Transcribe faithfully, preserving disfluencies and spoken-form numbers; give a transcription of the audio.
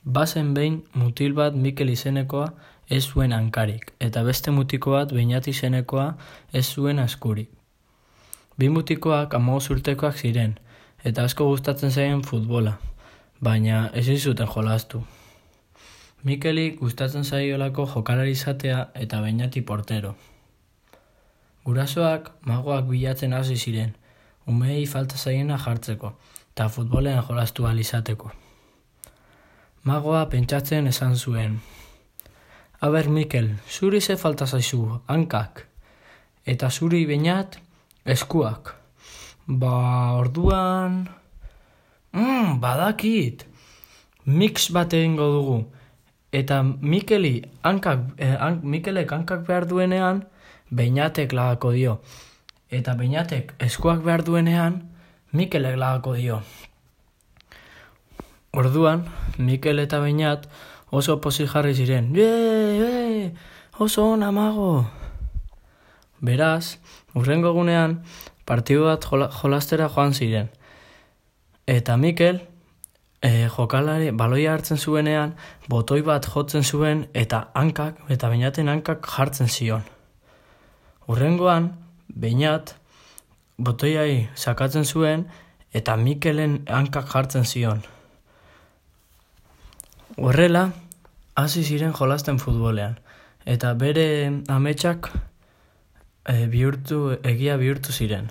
Bazen behin mutil bat Mikel izenekoa ez zuen hankarik, eta beste mutiko bat Beñat izenekoa ez zuen askurik. Bi mutikoak hamabost urtekoak ziren, eta asko gustatzen zaien futbola, baina ezin zuten jolastu. Mikeli gustatzen zaiolako jokalari izatea eta Beñati portero. Gurasoak magoak bilatzen hasi ziren, umeei falta zaiena jartzeko, eta futbolean jolastu ahal izateko. Magoa pentsatzen esan zuen: Aber Mikel, zuri ze falta zaizu, hankak, eta zuri Beñat, eskuak. Ba, orduan... Mm, badakit! Mix bat egingo dugu, eta Mikeli hankak, eh, hank, Mikelek hankak behar duenean, Beñatek lagako dio, eta Beñatek eskuak behar duenean, Mikelek lagako dio. Orduan, Mikel eta Beñat oso pozik jarri ziren. Ye, ye, oso ona mago! Beraz, hurrengo egunean, partidu bat jola, jolastera joan ziren. Eta Mikel, eh, jokalari baloia hartzen zuenean, botoi bat jotzen zuen eta hankak, eta Beñaten hankak jartzen zion. Hurrengoan, Beñat botoiai sakatzen zuen eta Mikelen hankak jartzen zion. Horrela, hasi ziren jolasten futbolean, eta bere ametsak e, bihurtu, egia bihurtu ziren.